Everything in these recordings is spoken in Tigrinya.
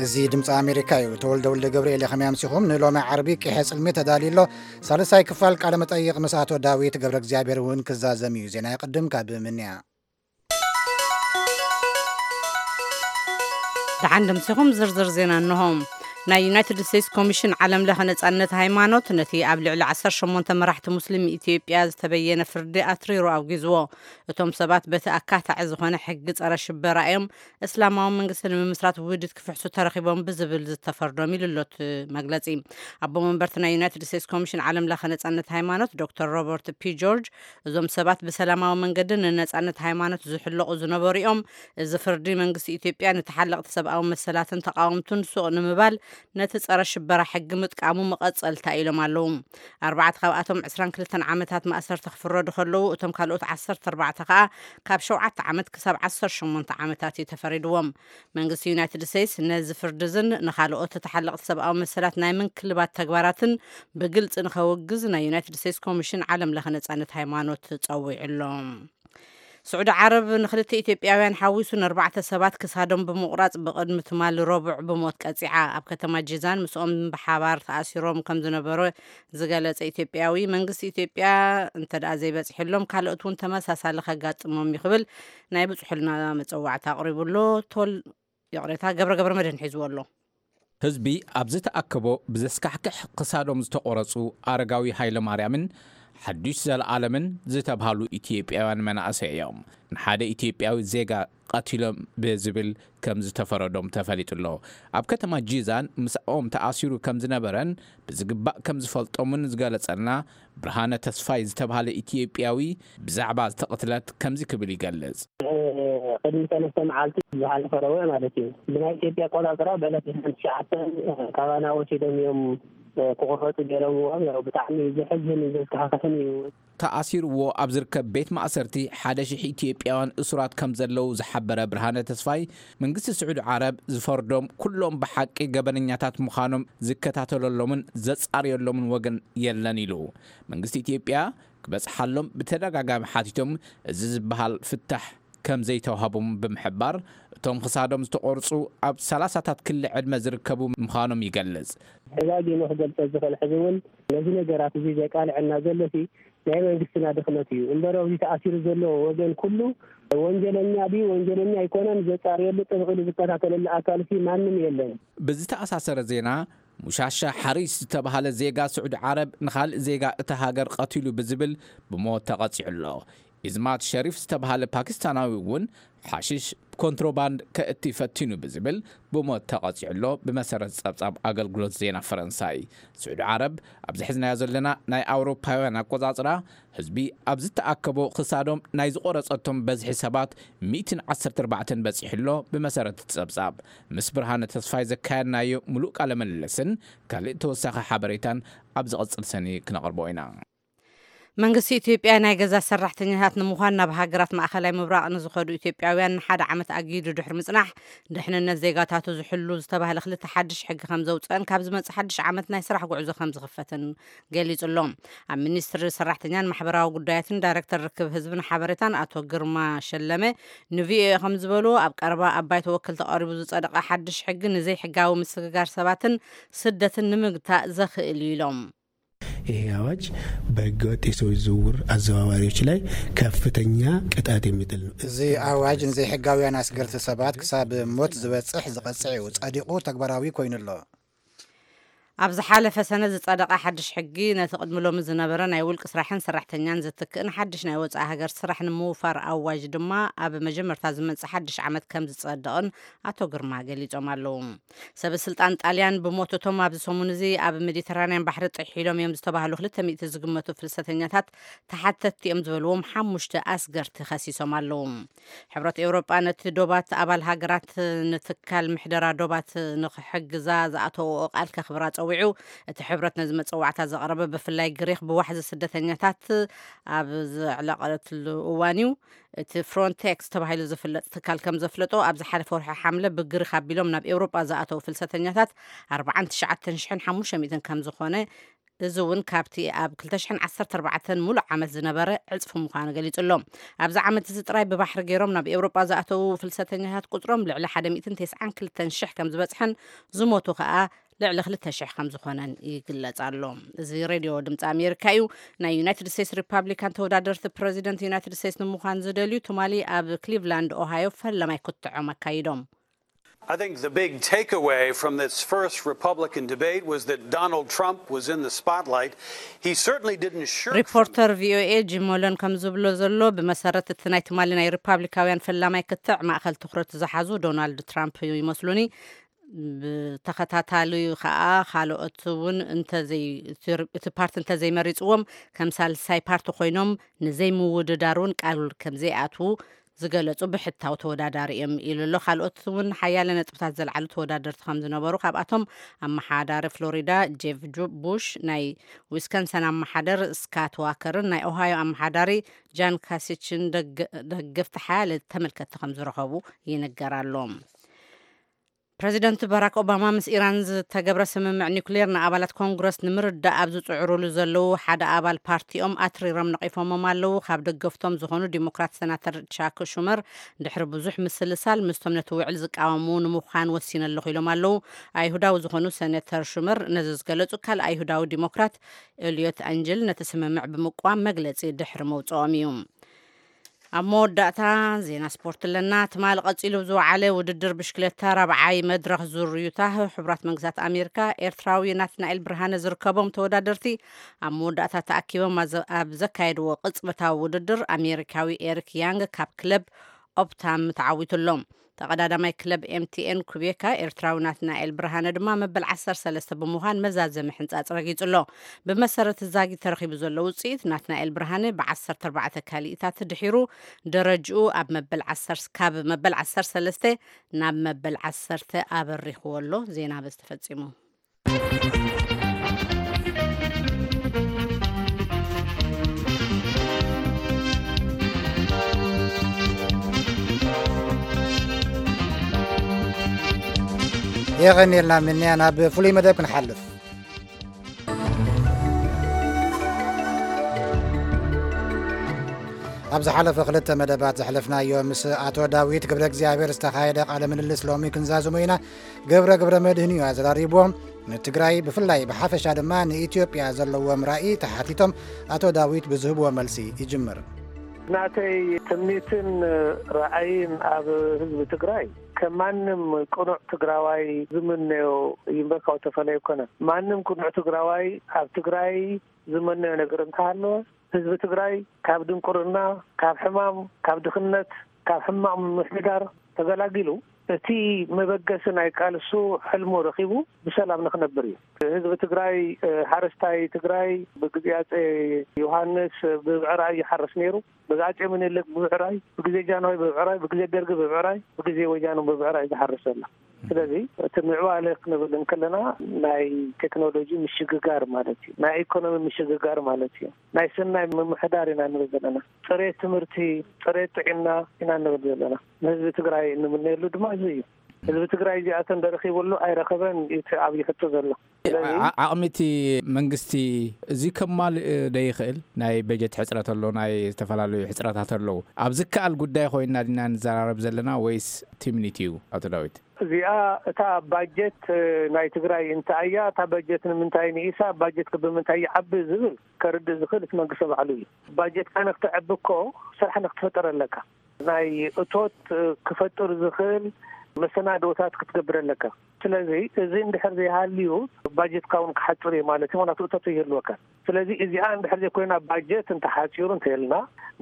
እዚ ድምፂ ኣሜሪካ እዩ። ተወልደ ወልደ ገብርኤል። ከመይ ኣምሲኹም? ንሎሚ ዓርቢ ቂሐ ጽልሚ ተዳልዩ ኣሎ። ሳልሳይ ክፋል ቃለ መጠይቕ ምስ ኣቶ ዳዊት ገብረ እግዚኣብሔር እውን ክዛዘም እዩ። ዜና ይቕድም። ካብ ምንያ። ደሓን ደምሲኹም። ዝርዝር ዜና እንሆ። ናይ ዩናይትድ ስቴትስ ኮሚሽን ዓለም ለኸ ነጻነት ሃይማኖት ነቲ ኣብ ልዕሊ ዓሰርተ ሸሞንተ መራሕቲ ሙስሊም ኢትዮጵያ ዝተበየነ ፍርዲ ኣትሪሩ ኣውጊዝዎ። እቶም ሰባት በቲ ኣካታዒ ዝኾነ ሕጊ ጸረ ሽበራ እዮም፣ እስላማዊ መንግስቲ ንምምስራት ውህደት ክፍሕሱ ተረኺቦም ብዝብል ዝተፈርዶም ኢሉ ኣሎ እቲ መግለጺ። ኣቦ መንበርቲ ናይ ዩናይትድ ስቴትስ ኮሚሽን ዓለም ለኸ ነጻነት ሃይማኖት ዶክተር ሮበርት ፒ ጆርጅ፣ እዞም ሰባት ብሰላማዊ መንገዲ ንነጻነት ሃይማኖት ዝሕለቑ ዝነበሩ እዮም። እዚ ፍርዲ መንግስቲ ኢትዮጵያ ንተሓለቕቲ ሰብኣዊ መሰላትን ተቓወምቱን ሱቕ ንምባል ነቲ ጸረ ሽበራ ሕጊ ምጥቃሙ መቐጸልታ ኢሎም ኣለዉ። ኣርባዕተ ካብኣቶም ዕስራን ክልተን ዓመታት ማእሰርቲ ክፍረዱ ከለዉ፣ እቶም ካልኦት ዓሰርተ ኣርባዕተ ከኣ ካብ ሸውዓተ ዓመት ክሳብ ዓሰርተ ሸሞንተ ዓመታት እዩ ተፈሪድዎም። መንግስቲ ዩናይትድ ስቴትስ ነዚ ፍርዲ እዝን ንኻልኦት ተሓለቕቲ ሰብኣዊ መሰላት ናይ ምንክልባት ተግባራትን ብግልጺ ንኸውግዝ ናይ ዩናይትድ ስቴትስ ኮሚሽን ዓለም ለኸ ነጻነት ሃይማኖት ጸዊዑ ኣሎ። ስዑዲ ዓረብ ንክልተ ኢትዮጵያውያን ሓዊሱ ንኣርባዕተ ሰባት ክሳዶም ብምቑራጽ ብቕድሚ ትማሊ ረቡዕ ብሞት ቀጺዓ። ኣብ ከተማ ጂዛን ምስኦም ብሓባር ተኣሲሮም ከም ዝነበሩ ዝገለጸ ኢትዮጵያዊ፣ መንግስቲ ኢትዮጵያ እንተ ደኣ ዘይበጽሐሎም ካልኦት እውን ተመሳሳሊ ከጋጥሞም እዩ ክብል ናይ ብጽሑልና መጸዋዕታ ኣቕሪቡ ኣሎ። ቶል ይቕሬታ፣ ገብረ ገብረ መድህን ሒዝዎ ኣሎ። ህዝቢ ኣብ ዝተኣከቦ ብዘስካሕክሕ ክሳዶም ዝተቖረጹ ኣረጋዊ ሃይለማርያምን ሓዱሽ ዘለኣለምን ዝተብሃሉ ኢትዮጵያውያን መናእሰይ እዮም። ንሓደ ኢትዮጵያዊ ዜጋ ቀቲሎም ብዝብል ከም ዝተፈረዶም ተፈሊጡ ኣሎ። ኣብ ከተማ ጂዛን ምስኦም ተኣሲሩ ከም ዝነበረን ብዝግባእ ከም ዝፈልጦምን ዝገለጸልና ብርሃነ ተስፋይ ዝተባህለ ኢትዮጵያዊ ብዛዕባ ዝተቕትለት ከምዚ ክብል ይገልጽ። ቅድሚ ሰለስተ መዓልቲ ዝሓለፈ ረቡዕ ማለት እዩ። ብናይ ኢትዮጵያ ኣቆጻጽራ በለት ትሽዓተ ካባና ወሲዶም እዮም ክቑረጹ ገይሮምዎም። ያው ብጣዕሚ ዘሕዝን እዩ፣ ዘስካሕክሕን እዩ። ተኣሲርዎ ኣብ ዝርከብ ቤት ማእሰርቲ ሓደ ሽሕ ኢትዮጵያውያን እሱራት ከም ዘለዉ ዝሓበረ ብርሃነ ተስፋይ፣ መንግስቲ ስዑዲ ዓረብ ዝፈርዶም ኩሎም ብሓቂ ገበነኛታት ምዃኖም ዝከታተለሎምን ዘጻርየሎምን ወገን የለን ኢሉ። መንግስቲ ኢትዮጵያ ክበጽሓሎም ብተደጋጋሚ ሓቲቶም፣ እዚ ዝበሃል ፍታሕ ከም ዘይተዋህቦም ብምሕባር፣ እቶም ክሳዶም ዝተቖርጹ ኣብ ሰላሳታት ክሊ ዕድመ ዝርከቡ ምዃኖም ይገልጽ። ደጋጊሙ ክገልጸ ዝኽእል ሕዚ እውን ነዚ ነገራት እዚ ዘቃልዐና ዘሎ ሲ ናይ መንግስትና ድኽመት እዩ እምበር፣ ኣብዚ ተኣሲሩ ዘሎ ወገን ኩሉ ወንጀለኛ ድዩ ወንጀለኛ ኣይኮነን ዘጻርየሉ ጥብቕ ኢሉ ዝከታተለሉ ኣካል ሲ ማንም የለን። ብዝተኣሳሰረ ዜና፣ ሙሻሻ ሓሪስ ዝተባሃለ ዜጋ ስዑዲ ዓረብ ንኻልእ ዜጋ እታ ሃገር ቀቲሉ ብዝብል ብሞት ተቐጺዑ ኣሎ። ኢዝማት ሸሪፍ ዝተባሃለ ፓኪስታናዊ እውን ሓሽሽ ኮንትሮባንድ ከእቲ ፈቲኑ ብዝብል ብሞት ተቐጺዑ ኣሎ። ብመሰረት ጸብጻብ ኣገልግሎት ዜና ፈረንሳይ፣ ስዑዲ ዓረብ ኣብዚ ሒዝናዮ ዘለና ናይ ኣውሮፓውያን ኣቆጻጽራ ህዝቢ ኣብ ዝተኣከቦ ክሳዶም ናይ ዝቖረጸቶም በዝሒ ሰባት ሚእትን ዓሰርተ ኣርባዕተን በጺሑ ኣሎ። ብመሰረት እቲ ጸብጻብ፣ ምስ ብርሃነ ተስፋይ ዘካየድናዮ ምሉእ ቃለ ምልልስን ካልእ ተወሳኺ ሓበሬታን ኣብ ዝቕጽል ሰኒ ክነቕርቦ ኢና። መንግስቲ ኢትዮጵያ ናይ ገዛ ሰራሕተኛታት ንምዃን ናብ ሃገራት ማእኸላይ ምብራቕ ንዝኸዱ ኢትዮጵያውያን ንሓደ ዓመት ኣጊዱ ድሕሪ ምጽናሕ፣ ድሕንነት ዜጋታቱ ዝሕሉ ዝተባህለ ክልተ ሓድሽ ሕጊ ከም ዘውፅአን ካብ ዝመጽእ ሓድሽ ዓመት ናይ ስራሕ ጉዕዞ ከም ዝኽፈትን ገሊጹ ኣሎ። ኣብ ሚኒስትሪ ሰራሕተኛን ማሕበራዊ ጉዳያትን ዳይሬክተር ርክብ ህዝብን ሓበሬታን ኣቶ ግርማ ሸለመ ንቪኦኤ ከም ዝበሉ፣ ኣብ ቀረባ ኣብ ባይቶ ወከልቲ ቀሪቡ ዝጸደቐ ሓድሽ ሕጊ ንዘይሕጋዊ ምስግጋር ሰባትን ስደትን ንምግታእ ዘኽእል እዩ ኢሎም። ይሄ አዋጅ በህገወጥ የሰዎች ዝውውር አዘዋዋሪዎች ላይ ከፍተኛ ቅጣት የሚጥል ነው። እዚ ኣዋጅ ንዘይሕጋውያን ኣስገርቲ ሰባት ክሳብ ሞት ዝበጽሕ ዝቐጽዕ እዩ። ጸዲቑ ተግባራዊ ኮይኑ ኣሎ። ኣብ ዝሓለፈ ሰነ ዝጸደቐ ሓድሽ ሕጊ፣ ነቲ ቅድሚ ሎሚ ዝነበረ ናይ ውልቂ ስራሕን ሰራሕተኛን ዝትክእን ሓድሽ ናይ ወጻኢ ሃገር ስራሕ ንምውፋር ኣዋጅ ድማ ኣብ መጀመርታ ዝመጽእ ሓድሽ ዓመት ከም ዝጸድቕን ኣቶ ግርማ ገሊጾም ኣለዉ። ሰበ ስልጣን ጣልያን ብሞት እቶም ኣብዚ ሰሙን እዚ ኣብ ሜዲተራንያን ባሕሪ ጥሒሎም እዮም ዝተባህሉ ክልተ ሚእቲ ዝግመቱ ፍልሰተኛታት ተሓተትቲ እዮም ዝበልዎም ሓሙሽተ ኣስገርቲ ከሲሶም ኣለዉ። ሕብረት ኤውሮጳ ነቲ ዶባት ኣባል ሃገራት ንትካል ምሕደራ ዶባት ንኽሕግዛ ዝኣተወኦ ቃል ከኽብራ ጸዊዑ። እቲ ሕብረት ነዚ መጸዋዕታ ዘቕረበ ብፍላይ ግሪኽ ብዋሕዚ ስደተኛታት ኣብ ዘዕለቐትሉ እዋን እዩ። እቲ ፍሮንቴክስ ተባሂሉ ዝፍለጥ ትካል ከም ዘፍለጦ፣ ኣብ ዝሓለፈ ወርሒ ሓምለ ብግሪኽ ኣቢሎም ናብ ኤውሮጳ ዝኣተዉ ፍልሰተኛታት ኣርባዓን ትሽዓተን ሽሕን ሓሙሽተ ሚእትን ከም ዝኾነ እዚ እውን ካብቲ ኣብ ክልተ ሽሕን ዓሰርተ ኣርባዕተን ሙሉእ ዓመት ዝነበረ ዕጽፊ ምዃኑ ገሊጹ ኣሎ። ኣብዚ ዓመት እዚ ጥራይ ብባሕሪ ገይሮም ናብ ኤውሮጳ ዝኣተዉ ፍልሰተኛታት ቁጽሮም ልዕሊ ሓደ ሚእትን ተስዓን ክልተን ሽሕ ከም ዝበጽሐን ዝሞቱ ከኣ ልዕሊ ክልተ ሽሕ ከም ዝኾነን ይግለጽ ኣሎ። እዚ ሬድዮ ድምፂ ኣሜሪካ እዩ። ናይ ዩናይትድ ስቴትስ ሪፓብሊካን ተወዳደርቲ ፕረዚደንት ዩናይትድ ስቴትስ ንምዃን ዝደልዩ ትማሊ ኣብ ክሊቭላንድ ኦሃዮ ፈለማይ ክትዖም ኣካይዶም። I think the big takeaway from this first Republican debate was that Donald Trump was in the spotlight. He certainly didn't shirk from ሪፖርተር ቪኦኤ ጂም ሞለን ከም ዝብሎ ዘሎ፣ ብመሰረት እቲ ናይ ትማሊ ናይ ሪፓብሊካውያን ፈላማይ ክትዕ ማእኸል ትኹረት ዝሓዙ ዶናልድ ትራምፕ ይመስሉኒ። ብተኸታታሊ ከዓ ካልኦት እውን እንተዘይ እቲ ፓርቲ እንተዘይመሪፅዎም ከም ሳልሳይ ፓርቲ ኮይኖም ንዘይምውድዳር እውን ቃል ከምዘይኣትዉ ዝገለጹ ብሕታዊ ተወዳዳሪ እዮም ኢሉ ኣሎ። ካልኦት እውን ሓያለ ነጥብታት ዘልዓሉ ተወዳደርቲ ከም ዝነበሩ፣ ካብኣቶም ኣመሓዳሪ ፍሎሪዳ ጄፍ ቡሽ፣ ናይ ዊስከንሰን ኣመሓደር ስካት ዋከርን ናይ ኦሃዮ ኣመሓዳሪ ጃን ካሲችን ደገፍቲ ሓያለ ተመልከትቲ ከም ዝረኸቡ ይንገር ኣሎ። ፕረዚደንት ባራክ ኦባማ ምስ ኢራን ዝተገብረ ስምምዕ ኒውክሌር ንኣባላት ኮንግረስ ንምርዳእ ኣብ ዝጽዕሩሉ ዘለዉ ሓደ ኣባል ፓርቲኦም ኣትሪሮም ነቒፎሞም ኣለዉ። ካብ ደገፍቶም ዝኾኑ ዲሞክራት ሰናተር ቻክ ሹመር ድሕሪ ብዙሕ ምስልሳል ምስቶም ነቲ ውዕል ዝቃወሙ ንምዃን ወሲነ ኣለኹ ኢሎም ኣለዉ። ኣይሁዳዊ ዝኾኑ ሰነተር ሹመር ነዚ ዝገለጹ ካልእ ኣይሁዳዊ ዲሞክራት ኤልዮት ኣንጅል ነቲ ስምምዕ ብምቅዋም መግለጺ ድሕሪ መውጽኦም እዩ። ኣብ መወዳእታ ዜና ስፖርት ኣለና። ትማሊ ቀጺሉ ብዝወዓለ ውድድር ብሽክለታ ራብዓይ መድረኽ ዙር ዩታ ሕቡራት መንግስታት ኣሜሪካ ኤርትራዊ ናትናኤል ብርሃነ ዝርከቦም ተወዳደርቲ ኣብ መወዳእታ ተኣኪቦም ኣብ ዘካየድዎ ቅጽበታዊ ውድድር ኣሜሪካዊ ኤሪክ ያንግ ካብ ክለብ ኦፕታም ተዓዊቱ ኣሎ። ተቐዳዳማይ ክለብ ኤምቲኤን ኩቤካ ኤርትራዊ ናትናኤል ብርሃነ ድማ መበል ዓሰርተ ሰለስተ ብምዃን መዛዘሚ ሕንጻጽ ረጊጹ ኣሎ። ብመሰረት ዛጊት ተረኺቡ ዘሎ ውጽኢት ናትናኤል ብርሃነ ብ ዓሰርተ ኣርባዕተ ካሊኢታት ድሒሩ ደረጅኡ ኣብ መበል ዓሰርተ ካብ መበል ዓሰርተ ሰለስተ ናብ መበል ዓሰርተ ኣበሪኽዎ ኣሎ። ዜና በዚ ተፈጺሙ። የቐንየልና ምንያ ናብ ፍሉይ መደብ ክንሓልፍ። ኣብ ዝሓለፈ ክልተ መደባት ዘሕለፍናዮ ምስ ኣቶ ዳዊት ገብረ እግዚኣብሔር ዝተኻየደ ቃለ ምልልስ ሎሚ ክንዛዝሞ ኢና። ገብረ ገብረ መድህን እዩ ኣዘራሪብዎም። ንትግራይ ብፍላይ ብሓፈሻ ድማ ንኢትዮጵያ ዘለዎም ራኢ ተሓቲቶም ኣቶ ዳዊት ብዝህብዎ መልሲ ይጅምር። ናተይ ትምኒትን ራእይን ኣብ ህዝቢ ትግራይ ከም ማንም ቅኑዕ ትግራዋይ ዝምነዮ ይንበርካው ተፈለየ ኣይኮነን። ማንም ቅኑዕ ትግራዋይ ኣብ ትግራይ ዝመነዮ ነገር እንተሃለወ ህዝቢ ትግራይ ካብ ድንቁርና፣ ካብ ሕማም፣ ካብ ድኽነት፣ ካብ ሕማቕ ምምሕዳር ተገላጊሉ እቲ መበገሲ ናይ ቃልሱ ሕልሙ ረኺቡ ብሰላም ንኽነብር እዩ። ህዝቢ ትግራይ፣ ሓረስታይ ትግራይ ብግዜ ኣጼ ዮሃንስ ብብዕራይ ይሓርስ ነይሩ። ብግዜ ኣጼ ምኒልክ ብብዕራይ፣ ብግዜ ጃንሆይ ብብዕራይ፣ ብግዜ ደርጊ ብብዕራይ፣ ብግዜ ወያነ ብብዕራይ ዝሓርስ ዘሎ። ስለዚ እቲ ምዕባለ ክንብል እንከለና ናይ ቴክኖሎጂ ምሽግጋር ማለት እዩ። ናይ ኢኮኖሚ ምሽግጋር ማለት እዩ። ናይ ሰናይ ምምሕዳር ኢና ንብል ዘለና። ፅሬት ትምህርቲ፣ ፅሬት ጥዕና ኢና ንብል ዘለና። ንህዝቢ ትግራይ እንምነየሉ ድማ እዚ እዩ። ህዝቢ ትግራይ እዚኣተን ደረኺብሉ ኣይረኸበን እዩ እቲ ዓብዪ ሕቶ ዘሎ። ስለዚ ዓቕሚ እቲ መንግስቲ እዚ ከማልእ ዶ ይኽእል? ናይ በጀት ሕፅረት ኣሎ፣ ናይ ዝተፈላለዩ ሕፅረታት ኣለዉ። ኣብ ዝከኣል ጉዳይ ኮይና ዲና ንዘራረብ ዘለና ወይስ ትምኒት እዩ? ኣቶ ዳዊት። እዚኣ እታ ባጀት ናይ ትግራይ እንታይ እያ? እታ ባጀት ንምንታይ ንኢሳ? ባጀት ከ ብምንታይ ይዓቢ ዝብል ከርድእ ዝኽእል እቲ መንግስቲ ባዕሉ እዩ። ባጀትካ ንክትዕቢ እኮ ስራሕ ንክትፈጥር ኣለካ። ናይ እቶት ክፈጥር ዝኽእል መሰናዶታት ክትገብር ኣለካ። ስለዚ እዚ እንድሕር ዘይሃልዩ ባጀትካ እውን ክሓፅር እዩ ማለት እዩ። ምክንያቱ እቶት ይህልወካ። ስለዚ እዚኣ እንድሕር ዘይኮይና ባጀት እንተሓፂሩ እንተልና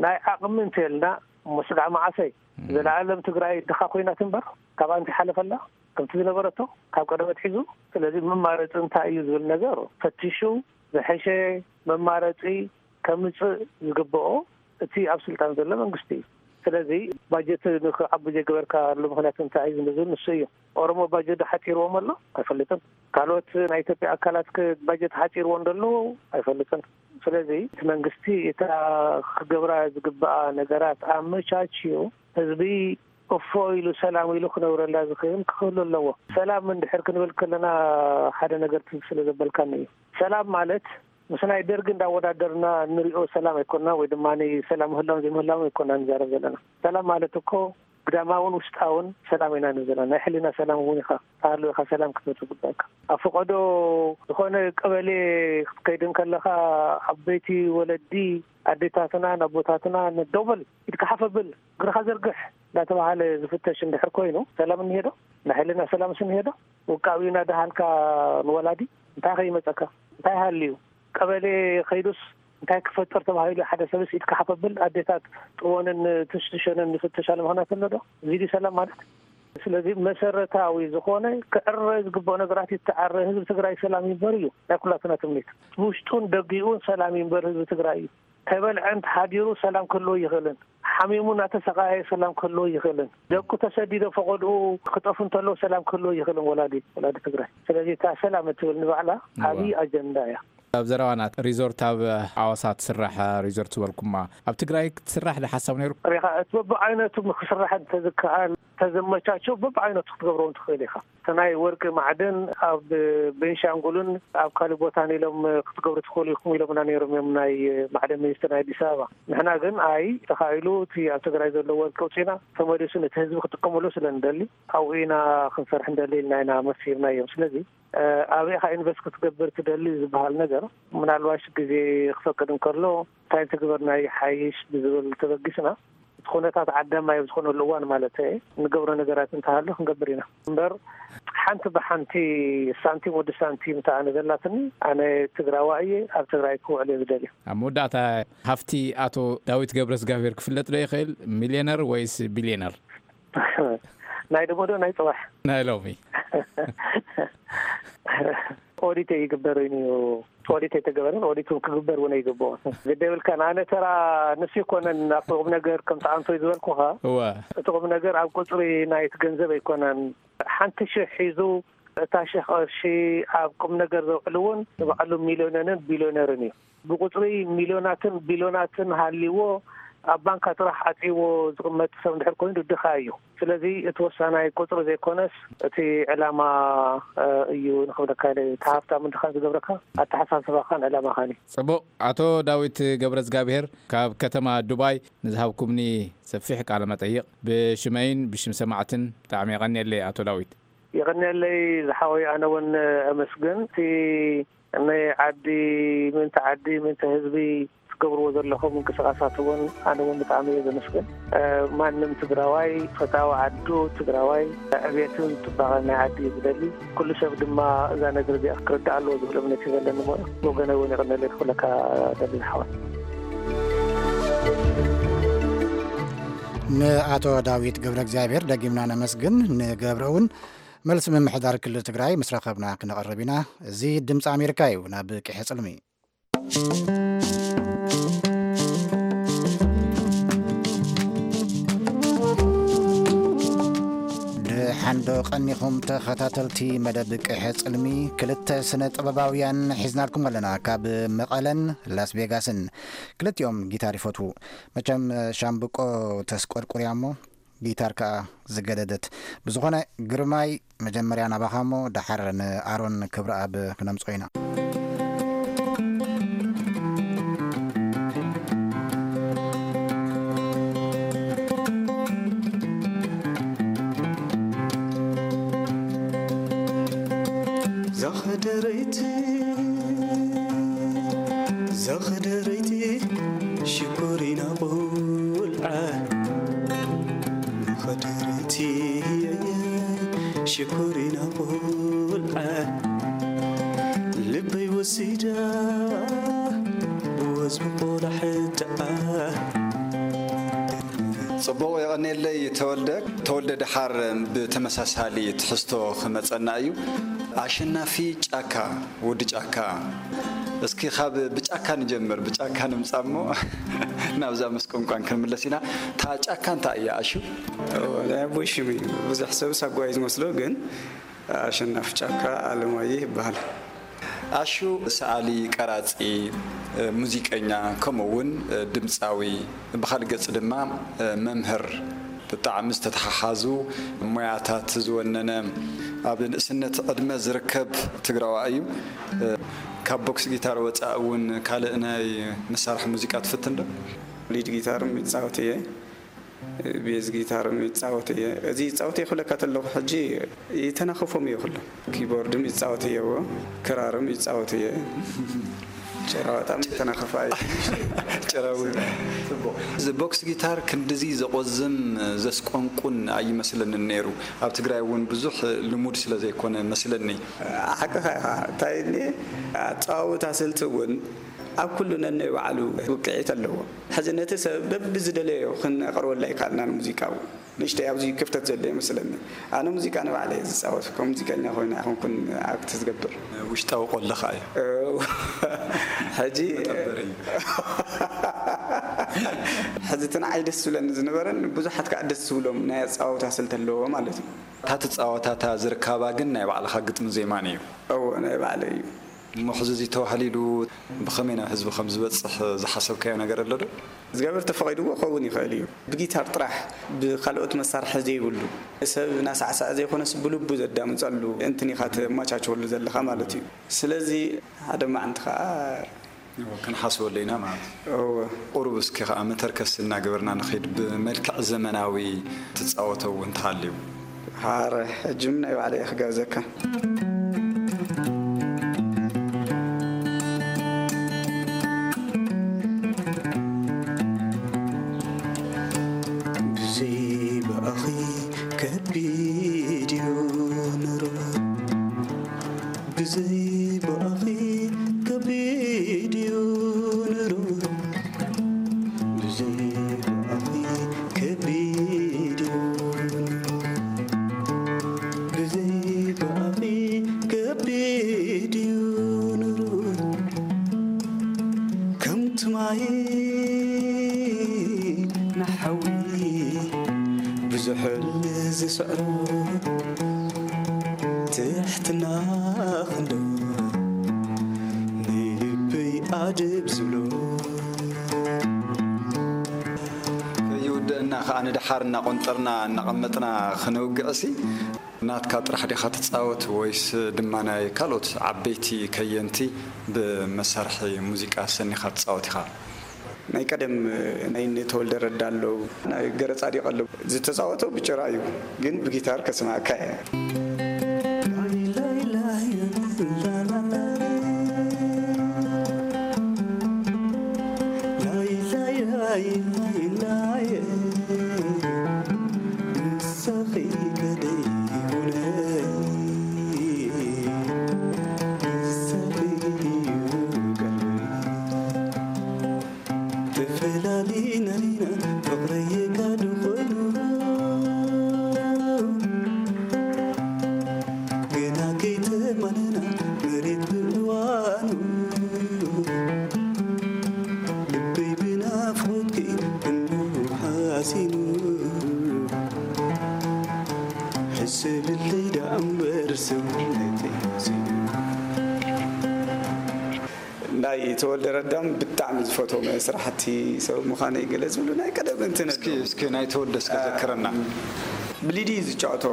ናይ ዓቕሚ እንተልና እሞ ስጋዕ መዓሰይ ዘለኣለም ትግራይ ድኻ ኮይና ትንበር ካብኣ እንታይ ሓለፈላ ከምቲ ዝነበረቶ ካብ ቀደም ኣትሒዙ። ስለዚ መማረፂ እንታይ እዩ ዝብል ነገር ፈቲሹ ዝሐሸ መማረፂ ከምፅእ ዝግበኦ እቲ ኣብ ስልጣን ዘሎ መንግስቲ እዩ። ስለዚ ባጀት ንክዓቢ ዘይገበርካሉ ምክንያት እንታይ እዩ ዝብል ንሱ እዩ። ኦሮሞ ባጀት ሓፂርዎም ኣሎ ኣይፈልጥን። ካልኦት ናይ ኢትዮጵያ ኣካላት ባጀት ሓፂርዎ እንደሎ ኣይፈልጥን። ስለዚ እቲ መንግስቲ እታ ክገብራ ዝግበኣ ነገራት ኣመቻችዩ ህዝቢ እፎ ኢሉ ሰላም ኢሉ ክነብረላ ዝኽእል ክህሉ ኣለዎ። ሰላም እንድሕር ክንብል ከለና ሓደ ነገር ትዝ ስለ ዘበልካኒ እዩ። ሰላም ማለት ምስ ናይ ደርጊ እንዳወዳደርና ንሪኦ ሰላም ኣይኮና፣ ወይ ድማ ሰላም ምህላውን ዘይምህላውን ኣይኮና ንዛረብ ዘለና። ሰላም ማለት እኮ ግዳማውን ውሽጣውን ሰላም ኢና ንብል ዘለና። ናይ ሕሊና ሰላም እውን ኢኻ፣ ተሃልው ኢኻ ሰላም ክትብል ዝግባእካ። ኣብ ፈቐዶ ዝኾነ ቀበሌ ክትከይድ እንከለኻ፣ ዓበይቲ ወለዲ፣ ኣዴታትና፣ ኣቦታትና፣ ንደውበል ኢድካ ሓፍ ኣብል፣ እግርኻ ዘርግሕ እንዳተባሃለ ዝፍተሽ እንድሕር ኮይኑ፣ ሰላም እኒሄ ዶ? ናይ ሕሊና ሰላምስ እኒሄ ዶ? ውቃብዩ እናደሃልካ ንወላዲ እንታይ ከይመፀካ? እንታይ ሃልዩ? ቀበሌ ከይዱስ እንታይ ክፈጥር ተባሂሉ? ሓደ ሰብስ ኢድካ ሓፍ ኣብል፣ ኣዴታት ጥወንን ትሽትሸንን ይፍተሻሉ ምኽንያት ኣሎ ዶ? እዚ ድዩ ሰላም ማለት? ስለዚ መሰረታዊ ዝኾነ ክዕረ ዝግብኦ ነገራት ይተዓረ። ህዝቢ ትግራይ ሰላም ይንበር እዩ ናይ ኩላትና ትምኒት። ውሽጡን ደጊኡን ሰላም ይንበር ህዝቢ ትግራይ እዩ። ከይበልዐ እንተሓዲሩ ሰላም ክህልዎ ይኽእልን፣ ሓሚሙ እናተሰቃየ ሰላም ክህልዎ ይኽእልን፣ ደቁ ተሰዲዶ ፈቐድኡ ክጠፉ እንተለዉ ሰላም ክህልዎ ይኽእልን ወላዲ፣ ወላዲ ትግራይ። ስለዚ እታ ሰላም እትብል ንባዕላ እዋ። ዓብዪ ኣጀንዳ እያ። ኣብ ዘረባና ሪዞርት ኣብ ኣዋሳ ትስራሕ ሪዞርት ዝበልኩማ ኣብ ትግራይ ክትስራሕ ዶ ሓሳብ ነይሩ? ሪኻ እቲ በብዓይነቱ ክስራሕ እንተዝከኣል፣ ተዘመቻቸው በብዓይነቱ ክትገብሮ ትኽእል ኢኻ። እቲ ናይ ወርቂ ማዕድን ኣብ ቤንሻንጉልን ኣብ ካልእ ቦታን ኢሎም ክትገብሩ ትኽእሉ ኢኹም ኢሎምና ነይሮም እዮም ናይ ማዕድን ሚኒስትር ናይ ኣዲስ ኣበባ። ንሕና ግን ኣይ ተኻኢሉ እቲ ኣብ ትግራይ ዘሎ ወርቂ ውፅኢና ተመሊሱ ነቲ ህዝቢ ክጥቀመሉ ስለ ንደሊ ኣብኡ ኢና ክንሰርሕ እንደሊ ኢልና ኢና መሲርናዮም። ስለዚ ኣበይ ኢኻ ኢንቨስት ክትገብር ትደሊ ዝበሃል ነገር ምናልባሽ ግዜ ክፈቅድ እንከሎ እንታይ ትግበርና ይሓይሽ ብዝብል ተበጊስና እቲ ኩነታት ዓዳማይ ኣብ ዝኾነሉ እዋን ማለት እየ ንገብሮ ነገራት እንተሃሉ ክንገብር ኢና እምበር ሓንቲ ብሓንቲ ሳንቲም ወዲ ሳንቲም ተኣነ ዘላትኒ ኣነ ትግራዋ እየ ኣብ ትግራይ ክውዕል እየ ዝደልዩ። ኣብ መወዳእታ ሃፍቲ ኣቶ ዳዊት ገብረዝጋብሔር ክፍለጥ ዶ ይኽእል? ሚልዮነር ወይስ ቢልዮነር? ናይ ደሞዶ ናይ ፅባሕ ናይ ሎሚ ኦዲት ይግበር እዩ። ኦዲት የተገበረን ኦዲት ክግበር እውን ይግብኦ። ግደ ብልካ ንኣነ ተራ ንሱ ይኮነን ኣብቲ ቁም ነገር ከም ተኣንቶ ዝበልኩኻ እወ እቲ ቁም ነገር ኣብ ቁፅሪ ናይቲ ገንዘብ ኣይኮነን። ሓንቲ ሽሕ ሒዙ እታ ሽሕ ቅርሺ ኣብ ቁም ነገር ዘውዕል እውን ንባዕሉ ሚሊዮነንን ቢሊዮነርን እዩ። ብቁፅሪ ሚሊዮናትን ቢሊዮናትን ሃልይዎ ኣብ ባንካ ጥራሕ ዓፅይዎ ዝቕመጥ ሰብ እንድሕር ኮይኑ ድኻ እዩ። ስለዚ እቲ ወሳናይ ቁፅሪ ዘይኮነስ እቲ ዕላማ እዩ ንክብለካ ኢለ። እቲ ሃፍታም እንድኻን ዝገብረካ ኣተሓሳስባኻን ዕላማኻን እዩ። ፅቡቕ። ኣቶ ዳዊት ገብረዝጋብሔር ካብ ከተማ ዱባይ ንዝሃብኩምኒ ሰፊሕ ቃለ መጠይቕ ብሽመይን ብሽም ሰማዕትን ብጣዕሚ የቐንየለይ ኣቶ ዳዊት። የቐንየለይ ዝሓወይ ኣነ እውን ኣመስግን እቲ ናይ ዓዲ ምእንቲ ዓዲ ምእንቲ ህዝቢ ትገብርዎ ዘለኹም ምንቅስቃሳት እውን ኣነ እውን ብጣዕሚ እየ ዘመስግን። ማንም ትግራዋይ ፈታዊ ዓዱ ትግራዋይ ዕብየትን ፅባቐን ናይ ዓዲ እዩ ዝደሊ። ኩሉ ሰብ ድማ እዛ ነገር እዚኣ ክርዳእ ኣለዎ ዝብል እምነት እዩ ዘለኒ። ሞ ብወገነ እውን የቐንየለይ ክብለካ ደሊ ዝሓወይ። ንኣቶ ዳዊት ገብረ እግዚኣብሔር ደጊምና ነመስግን። ንገብረ እውን መልሲ ምምሕዳር ክልል ትግራይ ምስ ረኸብና ክነቕርብ ኢና። እዚ ድምፂ ኣሜሪካ እዩ። ናብ ቅሐ ፅልሚ ደሓን ዶ ቀኒኹም ተኸታተልቲ መደብ ቅሐ ፅልሚ? ክልተ ስነ ጥበባውያን ሒዝናልኩም ኣለና። ካብ መቐለን ላስ ቬጋስን ክልቲኦም ጊታር ይፈትዉ። መቸም ሻምብቆ ተስቆርቁርያ እሞ ጊታር ከኣ ዝገደደት። ብዝኾነ ግርማይ መጀመርያ ናባኻ እሞ ደሓር ንኣሮን ክብረኣብ ክነምጽኦ ኢና። ዛኸደረይቲ ዛኸደረይቲ ሽኮሪና ቆልዓ ኸደረይቲ ሽኮሪና ቆልዓ ልበይ ወሲዳ ወዝቢ ቆላሕትኣ ጽቡቕ የቐኔለይ ተወልደ። ተወልደ ደሓር ብተመሳሳሊ ትሕዝቶ ክመጸና እዩ። ኣሸናፊ ጫካ፣ ወዲ ጫካ። እስኪ ካብ ብጫካ ንጀምር፣ ብጫካ ንምጻእ እሞ ናብዛ ምስ ቋንቋን ክንምለስ ኢና። እታ ጫካ እንታይ እያ ኣሹ? ናይ ኣቦይ ሽም እዩ። ብዙሕ ሰብ ሳጓ እዩ ዝመስሎ፣ ግን ኣሸናፊ ጫካ ኣለማየሁ ይበሃል። ኣሹ ሰኣሊ፣ ቀራጺ፣ ሙዚቀኛ፣ ከምኡ እውን ድምጻዊ፣ ብኻልእ ገጽ ድማ መምህር፣ ብጣዕሚ ዝተተሓሓዙ ሞያታት ዝወነነ ኣብ ንእስነት ዕድመ ዝርከብ ትግራዋይ እዩ። ካብ ቦክስ ጊታር ወጻእ እውን ካልእ ናይ መሳርሒ ሙዚቃ ትፍትን ዶ? ሊድ ጊታርም ይጻወት እየ፣ ቤዝ ጊታርም ይጻወት እየ። እዚ ይጻወት እየ ክብለካ ተለኹ ሕጂ ይተናኸፎም እየ ኩሎም። ኪቦርድም ይጻወት እየ፣ እዎ፣ ክራርም ይጻወት እየ። ጭራ በጣም ይተናኸፋ እየ። ጭራዊ። እዚ ቦክስ ጊታር ክንድዚ ዘቆዝም ዘስቆንቁን ኣይመስለንን ነይሩ። ኣብ ትግራይ እውን ብዙሕ ልሙድ ስለ ዘይኮነ መስለኒ። ሓቅኻ ኢኻ። እንታይ እኒ ኣጸዋውታ ስልቲ እውን ኣብ ኩሉ ነናይ ባዕሉ ውቅዒት ኣለዎ። ሕዚ ነቲ ሰብ በብዝደለዮ ክነቕርበሉ ኣይከኣልናን ሙዚቃ እውን። ንእሽተይ ኣብዚ ክፍተት ዘሎ ይመስለኒ። ኣነ ሙዚቃ ንባዕለይ እየ ዝጻወት። ከም ሙዚቀኛ ኮይነ ኣይኮንኩን ኣክት ዝገብር። ውሽጣዊ ቆልኻ እዩ። ሕጂ መጠበሪ እዩ። ሕዚ እቲ ንዓይ ደስ ዝብለኒ ዝነበረን ብዙሓት ከዓ ደስ ዝብሎም ናይ ኣጸዋውታ ስልቲ ኣለዎ ማለት እዩ። እታ ትጻወታ እታ ዝርካባ ግን ናይ ባዕልኻ ግጥሚ ዜማን እዩ። እዎ ናይ ባዕለይ እዩ። እሞ ሕዚ እዚ ተባህሊሉ ብኸመይ ናብ ህዝቢ ከም ዝበጽሕ ዝሓሰብካዮ ነገር ኣሎ ዶ? እግዚኣብሔር ተፈቒድዎ ክኸውን ይኽእል እዩ። ብጊታር ጥራሕ ብካልኦት መሳርሒ ዘይብሉ ሰብ ናሳዕሳዐ ዘይኮነስ ብልቡ ዘዳምፀሉ እንትን ኢኻ ተመቻችወሉ ዘለኻ ማለት እዩ። ስለዚ ሓደ መዓንቲ ከዓ እዎ፣ ክንሓስበሉ ኢና ማለት እዩ። እወ ቁሩብ እስኪ ከዓ መተርከስ እናገበርና ንኸይድ ብመልክዕ ዘመናዊ ትፃወተው እንተሃልዩ። ሃረ ሕጂ ምን ናይ ባዕለይ ክጋብዘካ። ብዘይ ብኣኺ ከቢድ እዩ ኑሮ። ብዘይ ብኣኺ ከቢድ እዩ ኑሮ። ብዘይ ብኣኺ ከቢድ እዩ ኑሮ። ብዘይ ብኣኺ ከቢድ እዩ ኑሮ። ከምቲ ማይ ንሓዊ ብዙሕ ዝስዕሮ ትሕትና ክንዶ ንልበይ ኣድብ ዝብሎ። ከይውደእና ከዓ ንደሓር እናቆንጠርና እናቐመጥና ክነውግዕሲ ናትካ ጥራሕ ዲኻ ትፃወት ወይስ ድማ ናይ ካልኦት ዓበይቲ ከየንቲ ብመሳርሒ ሙዚቃ ሰኒኻ ትፃወት ኢኻ? ናይ ቀደም ናይ እነ ተወልደ ረዳ ኣለዉ፣ ናይ ገረጻዲቅ ኣለዉ። ዝተጻወተው ብጭራ እዩ፣ ግን ብጊታር ከስማዕካ እየ። ተፈላሊና ኢና ፍቕረይ የጋዱ ኮይኑ፣ ገና ከይተማነና መሬት ብእዋኑ፣ ልበይ ብናፍቖትኪ እንዶ ሓሲኑ፣ ሕሰብለይ ደኣ እምበር ሰውነተይ ሓሲኑ። ናይ ተወልደ ረዳም ብጣዕሚ ዝፈትዎም ስራሕቲ ሰብ ምዃነይ ገለ ዝብሉ ናይ ቀደም እንትን እስኪ እስኪ ናይ ተወልደ እስኪ ዘክረና። ብሊዲ እዩ ዝጫወቶ።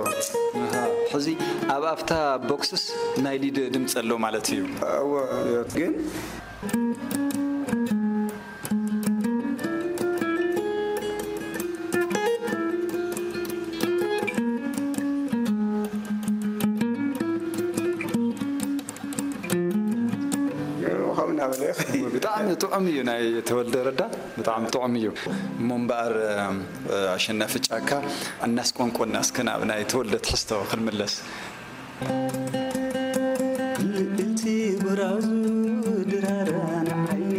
ኣሃ፣ ሕዚ ኣብ ኣፍታ ቦክስስ ናይ ሊድ ድምፂ ኣሎ ማለት እዩ። እወ፣ ግን ከምኡ እናበለ ብጣዕሚ ጥዑም እዩ ናይ ተወልደ ረዳ፣ ብጣዕሚ ጥዑም እዩ። እሞ እምበኣር ኣሸናፊ ጫካ እናስቆንቆና እስከ ናብ ናይ ተወልደ ትሕዝቶ ክንምለስ። ልእንቲ ብራዙ ድራራ ንዓይኒ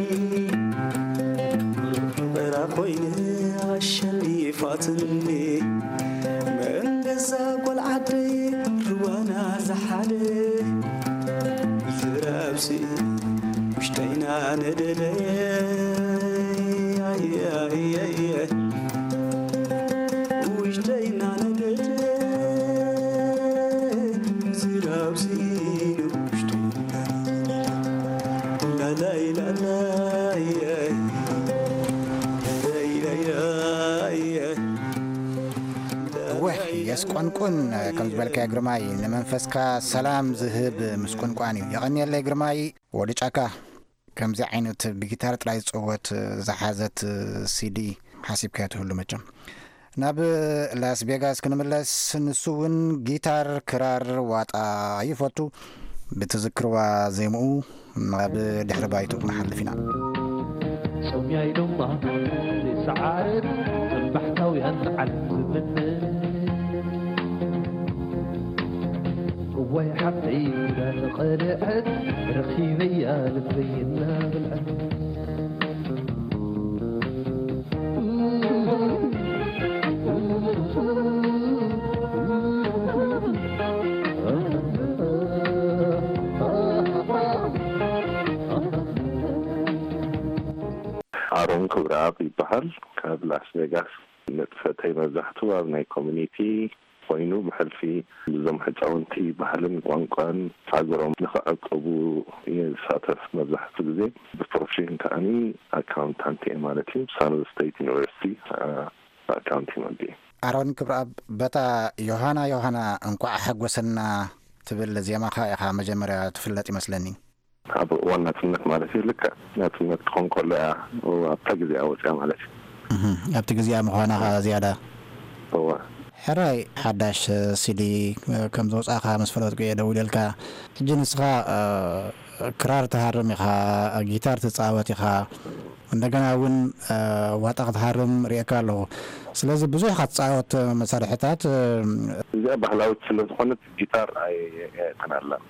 ፍቕራ ኮይነ ኣሸኒፋትኒ መን ገዛ ጓል ዓደይ ርዋና ዝሓደ ዝራብሲ ውሽጠይና ነደደ ውሽጠይና ነደደ ዝራብሲ ውሽጠይና ላላይ ላላይ ላላይ ላላይ እወ፣ ምስቆንቁን ከም ዝበልካዮ ግርማይ፣ ንመንፈስካ ሰላም ዝህብ ምስቁንቋን እዩ። የቐንየለይ ግርማይ። ወዲ ጫካ ከምዚ ዓይነት ብጊታር ጥራይ ዝጽወት ዝሓዘት ሲዲ ሓሲብካዮ ትህሉ መቸም። ናብ ላስ ቬጋስ ክንምለስ፣ ንሱ እውን ጊታር፣ ክራር፣ ዋጣ ይፈቱ። ብትዝክርዋ ዜምኡ ናብ ድሕሪ ባይቱ ክንሓልፍ ኢና። ጾምያይ ዶማ ዘይሰዓር፣ ከም ባሕታውያን ዓለም ዝምነ። እዋይ ሓፍተይ ጉዳ ተቐልዐት፣ ረኺበያ ልበይ እናበልዐት። ኣሮን ክብረኣብ ይበሃል። ካብ ላስ ቬጋስ። ንጥፈተይ መብዛሕትኡ ኣብ ናይ ኮሚኒቲ ኮይኑ፣ ብሕልፊ እዞም ህፃውንቲ ባህልን ቋንቋን ሃገሮም ንኽዕቅቡ እየ ዝሳተፍ። መብዛሕትኡ ግዜ ብፕሮፌሽን ከኣኒ ኣካውንታንት እየ ማለት እዩ። ሳን ሆዜ ስቴት ዩኒቨርሲቲ፣ አ፣ ኣካውንቲንግ ወዲ። ኣሮን ክብረኣብ፣ በታ ዮሃና ዮሃና እንቋዕ ሓጎሰና ትብል ዜማኻ ኢኻ መጀመርያ ትፍለጥ ይመስለኒ። ኣብ እዋን ናጽነት ማለት እዩ። ልክዕ ናጽነት ክኾን ከሎ እያ ኣብታ ግዜኣ ወጽያ ማለት እዩ። እህ፣ ኣብቲ ግዜኣ ምዃና ኸኣ ዝያዳ። እወ። ሕራይ፣ ሓዳሽ ሲዲ ከም ዘውጻእካ ምስ ፈለጥኩ እየ ደዊለልካ። ሕጂ ንስኻ፣ እ፣ ክራር ትሃርም ኢኻ፣ ጊታር ትጻወት ኢኻ፣ እንደገና እውን፣ እ፣ ዋጣ ክትሃርም ርእየካ ኣለኹ። ስለዚ ብዙሕ ኢኻ ትጻወት መሳርሕታት፣ እ፣ እዚኣ ባህላዊት ስለ ዝኾነት ጊታር ኣይ-፣ ኣየእትናላን።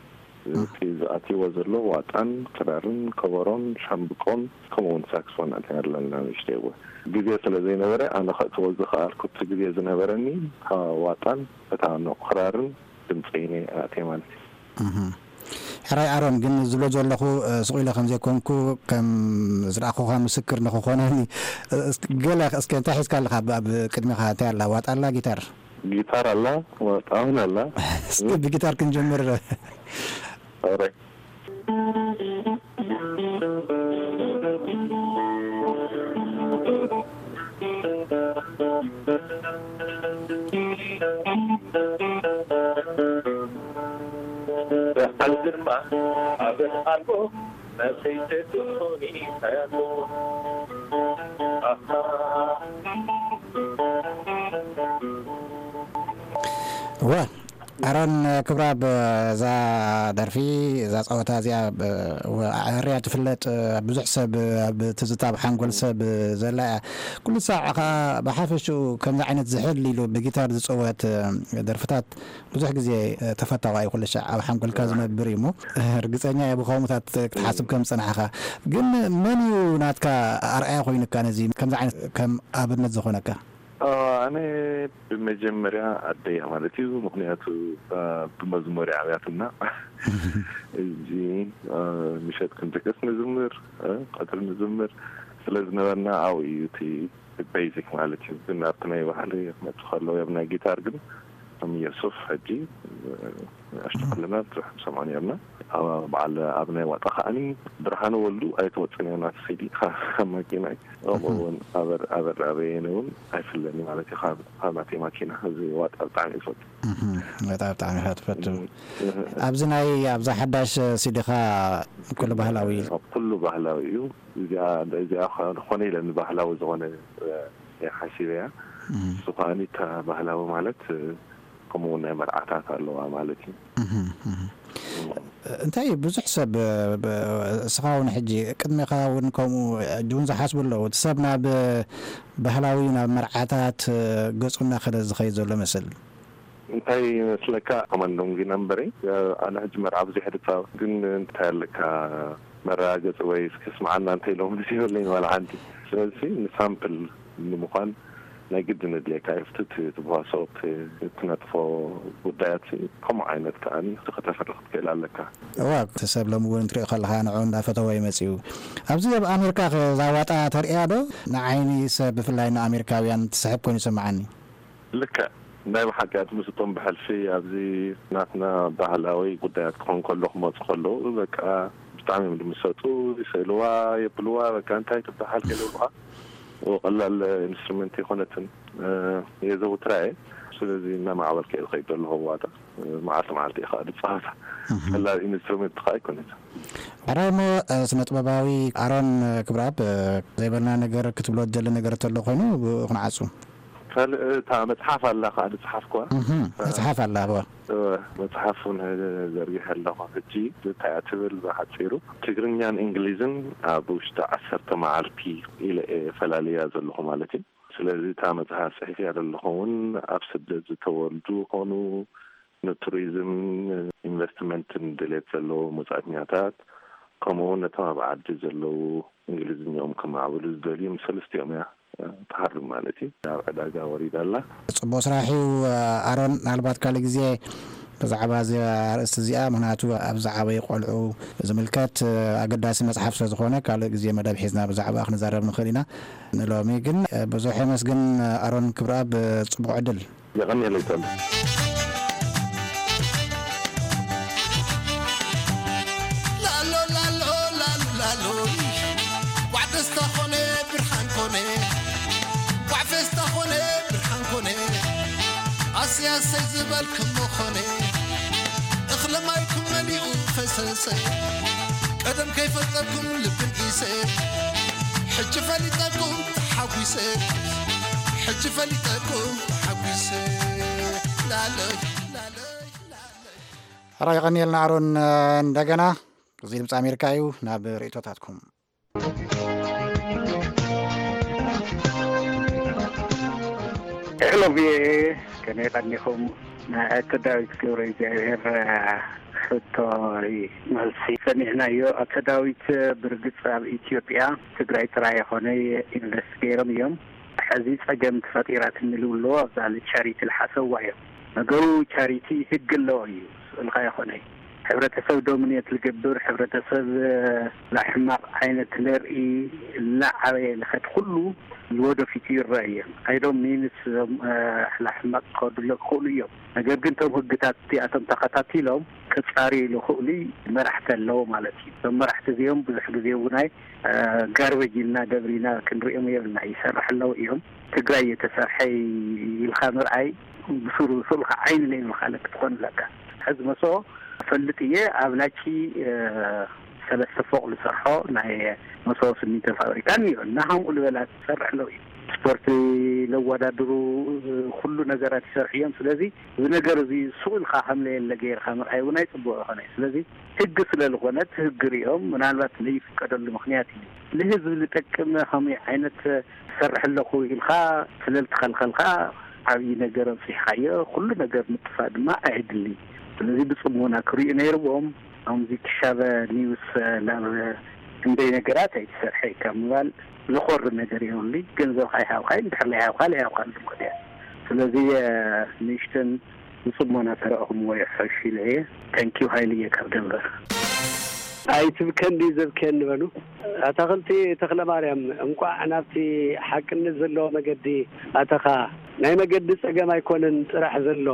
እቲ ዝኣትይዎ ዘሎ ዋጣን ክራርን ከበሮን ሻምብቆን ከምኡ እውን ሳክስፎን ኣእቲና ኣለና ንእሽተይ እወ። ግዜ ስለ ዘይነበረ ኣነ ከእትዎ ዝኸኣልኩ እቲ ግዜ ዝነበረኒ፣ አ፣ ዋጣን እታ ንቑ ክራርን ድምፀይን እየ ኣእትየ ማለት እዩ። እህ። ሕራይ ኣሮን፣ ግን ዝብሎ ዘለኹ፣ እ፣ ስቕ ኢለ ከም ዘይኮንኩ ከም ዝረኣኹኻ ምስክር ንኽኾነኒ፣ እ፣ እስኪ ገለ እስከ እንታይ ሒዝካ ኣለኻ? ኣብ፣ ኣብ ቅድሚኻ እንታይ ኣላ? ዋጣ ኣላ? ጊታር? ጊታር ኣላ፣ ዋጣ እውን ኣላ። እስኪ ብጊታር ክንጀምር። ኦሬ። ደሓን ድማ ኣበን ኣልቦ መሰይተቱ ኾኒ ታያቶ። ኣሃ። እወ፣ ኣሮን ክብረኣብ፣ እዛ ደርፊ፣ እዛ ጸወታ እዚኣ፣ ብ-፣ ወ-፣ ኣዕርያ ትፍለጥ፣ ብዙሕ ሰብ ኣብ ትዝታ፣ ኣብ ሓንጎል ሰብ ዘላ እያ። ኩሉ ሳዕ ከኣ ብሓፈሽኡ ከምዚ ዓይነት ዝሕል ኢሉ ብጊታር ዝጽወት ደርፍታት ብዙሕ ግዜ ተፈታዋይ ኩሉ ሻዕ ኣብ ሓንጎልካ ዝነብር እዩ እሞ፣ ርግጸኛ እየ ብኸምኡታት ክትሓስብ ከም ዝጸናሕካ። ግን መን እዩ ናትካ ኣርኣያ ኮይኑካ ነዚ ከምዚ ዓይነት ከም ኣብነት ዝኾነካ? ኦ፣ ኣነ ብመጀመርያ ኣደያ ማለት እዩ። ምኽንያቱ፣ አ፣ ብመዝሙር እያ ዓብያትና። እዚ፣ አ፣ ምሸት ክንድቅስ ንዝምር፣ አ፣ ቀትሪ ንዝምር ስለ ዝነበርና ኣብኡ እዩ እቲ ቤዚክ ማለት እዩ። ግን ኣብቲ ናይ ባህሊ ክመጽእ ከሎ፣ ኣብ ናይ ጊታር ግን ከም የሱፍ ሕጂ፣ እ፣ ንኣሽቱ ከለና ብዙሕ ንሰምዖ ነርና። ኣብ በዓል ኣብ ናይ ዋጣ ከኣኒ ብርሃነ ወልዱ ኣይትወጽን እያ ናቲ ሲዲ ካብ ማኪናይ። ከምኡ እውን ኣበር-፣ ኣበር ኣበየነ እውን ኣይፍለኒ ማለት እዩ ካብ፣ ካብ ናተይ ማኪና። እዚ ዋጣ ብጣዕሚ እየ ዝፈቱ። እህ፣ ዋጣ ብጣዕሚ ኢኻ ትፈቱ። እህ፣ እህ። ኣብዚ ናይ፣ ኣብዛ ሓዳሽ ሲዲኻ ኩሉ ባህላዊ እዩ። ኩሉ ባህላዊ እዩ። እዚኣ፣ እዚኣ ኾነ ኢለ ንባህላዊ ዝኾነ፣ እ፣ እየ ሓሲበያ። እም። እሱ ከኣኒ እታ ባህላዊ ማለት፣ እ፣ ከምኡ እውን ናይ መርዓታት ኣለዋ ማለት እዩ። እህ፣ እህ። እም። እንታይ እዩ፣ ብዙሕ ሰብ፣ እ፣ ብ-፣ እስኻ እውን ሕጂ ቅድሜኻ እውን ከምኡ ሕጂ እውን ዝሓስቡ ኣለዉ። እቲ ሰብ ናብ ባህላዊ፣ ናብ መርዓታት፣ እ፣ ገጹ እናኸደ ዝኸይድ ዘሎ መስል። እንታይ ይመስለካ፣ ኮማንዶም ጊና እምበረይ፣ ኣነ ሕጂ መርዓ ብዙሕ ድጻወት፣ ግን እንታይ ኣለካ መረጋገጺ ወይ እስኪ ስምዓና እንተ ኢሎም ምስ ይብለኝ ዋላ ሓንቲ። ስለዚ ንሳምፕል ንምዃን ናይ ግድን ኣድልየካ እዩ። እቲ ትብሃሶ፣ እቲ እትነጥፎ ጉዳያት ከምኡ ዓይነት ከኣ ከተፍሪ ክትክእል ኣለካ። እዋ፣ እቲ ሰብ ሎሚ እውን ትሪኦ ከለኻ ንዕኡ እንዳፈተወ እዩ መጺኡ። ኣብዚ ኣብ ኣሜሪካ ከ እዛ ዋጣ ተርእያ ዶ? ንዓይኒ ሰብ ብፍላይ ንኣሜሪካውያን ትስሕብ ኮይኑ ይስምዓኒ። ልክዕ። ናይ ብሓቂ ኣቲ ምስ እቶም ብሕልፊ ኣብዚ ናትና ባህላዊ ጉዳያት ክኾን ከሎ ክመፁ ከለዉ በቃ ብጣዕሚ እዮም ዝምሰጡ፣ ይስእልዋ፣ የብልዋ፣ በቃ እንታይ ትበሃል ከይብሉኻ ቀላል ኢንስትሩመንት ኣይኮነትን። የዘውትራ እየ። ስለዚ እናማዕበልከ እየ ዝኸይድ ዘለኹ ዋጣ። መዓልቲ መዓልቲ እየ ከዓ ዝፃወታ። ቀላል ኢንስትሩመንት ከዓ ኣይኮነትን። ሕራይ እሞ፣ ስነ ጥበባዊ ኣሮን ክብረኣብ፣ ዘይበልና ነገር ክትብሎ ትደሊ ነገር ተሎ ኮይኑ ብኡ ክንዓጹ። ካልእ እታ መጽሓፍ ኣላ ከዓ ዝጸሓፍኩዋ። እህ፣ መጽሓፍ ኣላ፣ እወ። እወ፣ መጽሓፍ እውን ዘርጊሐ ኣለኹ። ሕጂ እንታይ እያ ትብል ብሓጺሩ፣ ትግርኛን እንግሊዝን ኣብ ውሽጢ ዓሰርተ መዓልቲ ኢለ እየ ፈላልያ ዘለኹ ማለት እዩ። ስለዚ እታ መጽሓፍ ጽሒፍያ ዘለኹ እውን ኣብ ስደት ዝተወልዱ ኾኑ፣ ንቱሪዝም ኢንቨስትመንትን ድሌት ዘለዎም ወጻእተኛታት፣ ከምኡ እውን ነቶም ኣብ ዓዲ ዘለዉ እንግሊዝኛኦም ከማዕብሉ ዝደልዩ፣ ምስ ሰለስቲኦም እያ ትሃርም ማለት እዩ። ኣብ ዕዳጋ ወሪዳ ኣላ። ጽቡቕ ስራሕ እዩ። ኣሮን፣ ምናልባት ካልእ ግዜ ብዛዕባ እዚ ኣርእስቲ እዚኣ፣ ምኽንያቱ ኣብ ዝዓበዩ ቆልዑ ዝምልከት ኣገዳሲ መጽሓፍ ስለ ዝኾነ፣ ካልእ ግዜ መደብ ሒዝና ብዛዕባ ክንዛረብ ንኽእል ኢና። ንሎሚ ግን ብዙሕ የመስግን ኣሮን ክብረኣብ፣ ጽቡቕ ዕድል። የቐንየለይ ተሉ። ላሎ ላሎ ላሎ ላሎ፣ ጓዕ ደስታ ኾነ ብርሃን ኮነ፣ ጓዕ ፌስታ ኾነ ብርሃን ኮነ፣ ኣሰይ ኣሰይ ዝበልክሞ ኾነ፣ እኽለ ማይኩም መሊኡ ፈሰሰ፣ ቀደም ከይፈልጠኩም ልብን ኢሰ፣ ሕጂ ፈሊጠኩም ተሓጒሰ፣ ሕጂ ፈሊጠኩም ተሓጒሰ፣ ላለይ ላለይ ላለይ። ሕራይ የቐንየልና ኣሮን። እንደገና እዚ ድምፂ ኣሜሪካ እዩ። ናብ ርእይቶታትኩም። ሄሎ ቪኦኤ፣ ከመይ ቀኒኹም? ናይ ኣቶ ዳዊት ገብረ እግዚኣብሔር ሕቶ መልሲ ሰሚዕናዮ። ኣቶ ዳዊት ብርግጽ ኣብ ኢትዮጵያ ትግራይ ጥራይ ኣይኮነ ኢንቨስት ገይሮም እዮም። ሕዚ ጸገም ተፈጢራትኒ ልብልዎ ኣብዛ ቻሪቲ ልሓሰዋ እዮም። ነገሩ ቻሪቲ ህግ ኣለዎ እዩ፣ ስእልካ ይኾነ። ሕብረተሰብ ዶሚኔት ልገብር፣ ሕብረተሰብ ላሕማቕ ዓይነት ለርኢ፣ እናዓበየ ልኸድ ኩሉ ንወደፊቱ ይረአ እዮም። ኣይዶም ሚንስ ላሕማቕ ክኸዱሎ ክኽእሉ እዮም። ነገር ግን እቶም ህግታት እቲኣቶም ተኸታቲሎም ክጻርዩ ልኽእሉ መራሕቲ ኣለዎ ማለት እዩ። እቶም መራሕቲ እዚኦም ብዙሕ ግዜ እውን ኣይ ጋርበጅ ኢልና ደብሪና ክንሪኦም የብልና። ይሰርሕ ኣለዉ እዮም። ትግራይ የተሰርሐ ኢልካ ምርኣይ ብሱሩ ስእልካ ዓይኒ ለይብልካ ለክ ትኾን ኣለካ። ሕዚ መሶ ፈልጥ እየ ኣብ ላቺ ሰለስተ ፎቕ ዝሰርሖ ናይ መሶ ስሚንቶ ፋብሪካ እኒኦ እና ከምኡ ልበላ ትሰርሕ ኣለዉ እዩ። ስፖርት ለወዳድሩ ኩሉ ነገራት ይሰርሑ እዮም። ስለዚ እዚ ነገር እዚ ስቕ ኢልካ ከም ለየለ ገይርካ ምርኣይ እውን ኣይፅቡቕ ይኾነ። ስለዚ ህግ ስለ ዝኾነ እቲ ህግ ሪኦም ምናልባት ለይፍቀደሉ ምኽንያት እዩ። ንህዝቢ ዝጠቅም ከመይ ዓይነት ትሰርሕ ኣለኹ ኢልካ ስለ ዝተኸልኸልካ ዓብዪ ነገር ኣብፂሕካዮ። ኩሉ ነገር ምጥፋእ ድማ ኣየድሊ። ስለዚ ብፅሞና ክሪኡ ነይርዎም። ከምዚ ክሻበ ኒውስ ናብ ክንደይ ነገራት ኣይትሰርሐ ካብ ምባል ዝኾሪ ነገር የብሉይ። ገንዘብካ ይሃብካ እዩ፣ እንድሕር ለይሃብካ ለይሃብካ ልምክት እያ። ስለዚ ንእሽተን ብፅሞና ተረእኹምዎ ይሕሽ ኢለ እየ። ተንኪው ሃይልየ ካብ ደንበር። ኣይትብከን ድዩ ዘብክየኒ በሉ። ኣታኽልቲ ተኽለ ማርያም፣ እንቋዕ ናብቲ ሓቅነት ዘለዎ መገዲ ኣተኻ። ናይ መገዲ ጸገም ኣይኮነን ጥራሕ ዘሎ።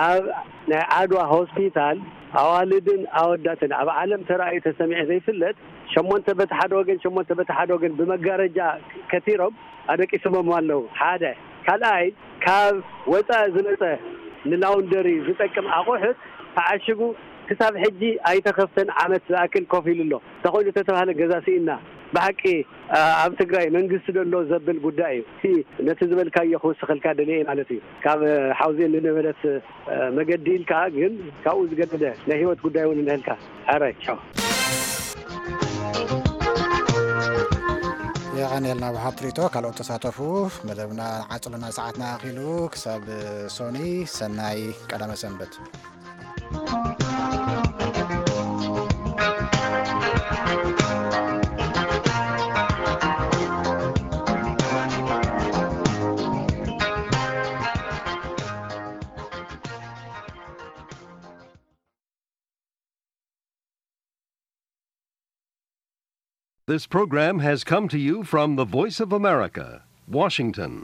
ኣብ ናይ ዓድዋ ሆስፒታል ኣዋልድን ኣወዳትን ኣብ ዓለም ተራእዩ ተሰሚዑ ዘይፍለጥ፣ ሸሞንተ በቲ ሓደ ወገን፣ ሸሞንተ በቲ ሓደ ወገን ብመጋረጃ ከቲሮም ኣደቂሶሞም ኣለዉ። ሓደ። ካልኣይ፣ ካብ ወጻኢ ዝመጸ ንላውንደሪ ዝጠቅም ኣቑሑት ተዓሽጉ ክሳብ ሕጂ ኣይተኸፍተን ዓመት ዝኣክል ኮፍ ኢሉ ኣሎ። እንተኾይኑ ተተባህለ ገዛ ስኢና። ብሓቂ፣ ኣ-፣ ኣብ ትግራይ መንግስቲ ዶ ኣሎ ዘብል ጉዳይ እዩ። እቲ ነቲ ዝበልካዮ ክውስኸልካ ደልየ ማለት እዩ። ካብ ሓውዜን ንነበለት መገዲ ኢልካ ግን ካብኡ ዝገደደ ናይ ህይወት ጉዳይ እውን እንሀልካ። ሕራይ፣ ቻው። የቐንየልና ብሓትሪቶ ካልኦት ተሳተፉ። መደብና ዓጽልና ሰዓትና ኣኺሉ። ክሳብ ሶኒ፣ ሰናይ ቀዳመ ሰንበት። This program has come to you from the Voice of America, Washington.